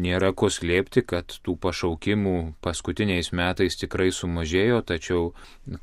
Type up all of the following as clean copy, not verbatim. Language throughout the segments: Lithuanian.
nėra ko slėpti, kad tų pašaukimų paskutiniais metais tikrai sumažėjo, tačiau,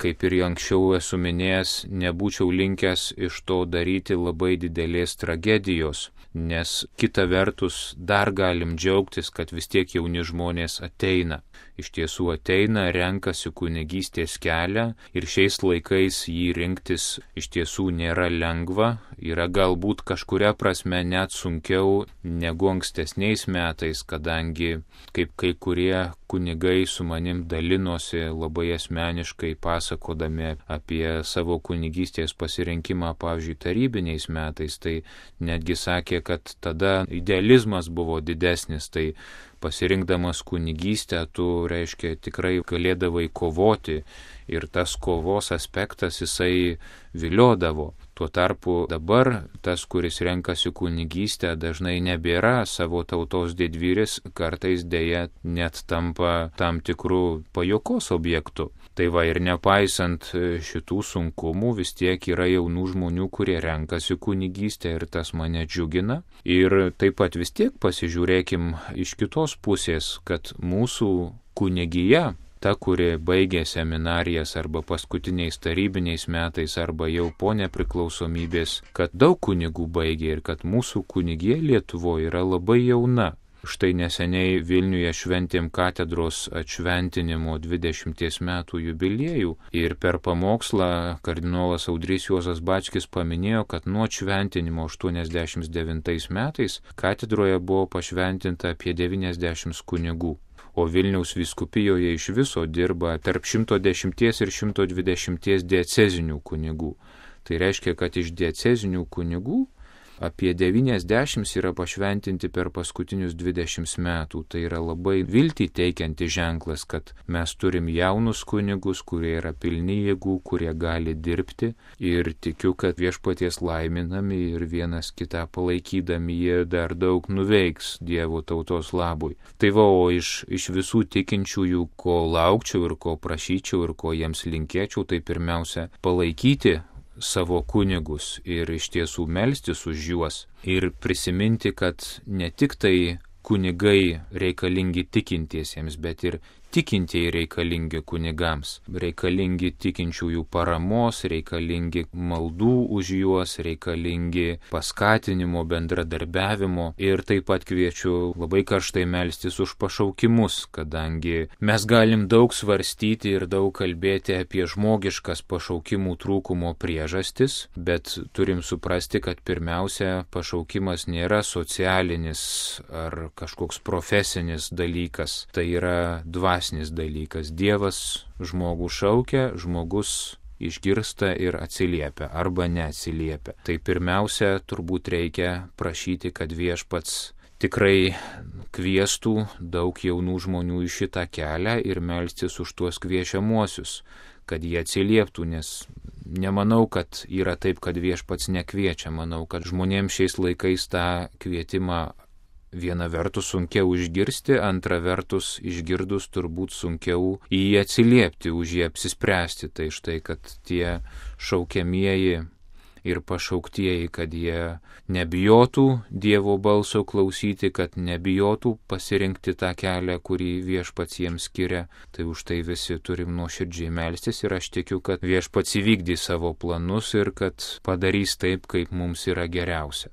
kaip ir anksčiau esu minėjęs, nebūčiau linkęs iš to daryti labai didelės tragedijos, nes kita vertus dar galim džiaugtis, kad vis tiek jauni žmonės ateina. Iš tiesų ateina, renkasi kunigystės kelią ir šiais laikais jį rinktis iš tiesų nėra lengva, yra galbūt kažkuria prasme net sunkiau negu ankstesniais metais, kadangi kaip kai kurie kunigai su manim dalinosi labai asmeniškai pasakodami apie savo kunigystės pasirinkimą, pavyzdžiui, tarybiniais metais, tai netgi sakė, kad tada idealizmas buvo didesnis, tai pasirinkdamas kunigystę, tu, reiškia, tikrai galėdavai kovoti ir tas kovos aspektas jisai viliodavo. Tuo tarpu dabar tas, kuris renkasi kunigystę, dažnai nebėra savo tautos didvyris, kartais dėja net tampa tam tikrų pajuokos objektų. Tai va ir nepaisant šitų sunkumų, vis tiek yra jaunų žmonių, kurie renkasi kunigystę ir tas mane džiugina. Ir taip pat vis tiek pasižiūrėkim iš kitos pusės, kad mūsų kunigija, ta, kuri baigė seminarijas arba paskutiniais tarybiniais metais arba jau po nepriklausomybės, kad daug kunigų baigė ir kad mūsų kunigija Lietuvoje yra labai jauna. Štai neseniai Vilniuje šventėm katedros atšventinimo 20 metų jubiliejų ir per pamokslą kardinolas Audrys Juozas Bačkis paminėjo, kad nuo šventinimo 89 metais katedroje buvo pašventinta apie 90 kunigų. O Vilniaus vyskupijoje iš viso dirba tarp 110 ir 120 diecezinių kunigų. Tai reiškia, kad iš diecezinių kunigų apie 90 yra pašventinti per paskutinius 20 metų. Tai yra labai viltį teikianti ženklas, kad mes turim jaunus kunigus, kurie yra pilni jėgų, kurie gali dirbti ir tikiu, kad viešpaties laiminami ir vienas kitą palaikydami jie dar daug nuveiks Dievo tautos labui. Tai va, o iš visų tikinčiųjų, ko laukčiau ir ko prašyčiau ir ko jiems linkėčiau, tai pirmiausia palaikyti savo kunigus ir iš tiesų melstis už juos ir prisiminti, kad ne tik tai kunigai reikalingi tikintiesiems, bet ir tikintieji reikalingi kunigams, reikalingi tikinčiųjų paramos, reikalingi maldų už juos, reikalingi paskatinimo, bendradarbiavimo ir taip pat kviečiu labai karštai melstis už pašaukimus, kadangi mes galim daug svarstyti ir daug kalbėti apie žmogiškas pašaukimų trūkumo priežastis, bet turim suprasti, kad pirmiausia pašaukimas nėra socialinis ar kažkoks profesinis dalykas, tai yra dvasinis dalykas. Dievas žmogų šaukia, žmogus išgirsta ir atsiliepia arba neatsiliepia. Tai pirmiausia, turbūt reikia prašyti, kad viešpats tikrai kviestų daug jaunų žmonių į šitą kelią ir melstis už tuos kviečiamuosius, kad jie atsilieptų, nes nemanau, kad yra taip, kad viešpats nekviečia. Manau, kad žmonėms šiais laikais tą kvietimą viena vertus sunkiau išgirsti, antra vertus išgirdus turbūt sunkiau į jį atsiliepti, už jį apsispręsti. Tai štai, kad tie šaukiamieji ir pašauktieji, kad jie nebijotų Dievo balso klausyti, kad nebijotų pasirinkti tą kelią, kurį viešpats jiems skiria. Tai už tai visi turim nuoširdžiai melstis ir aš tikiu, kad viešpats įvykdys savo planus ir kad padarys taip, kaip mums yra geriausia.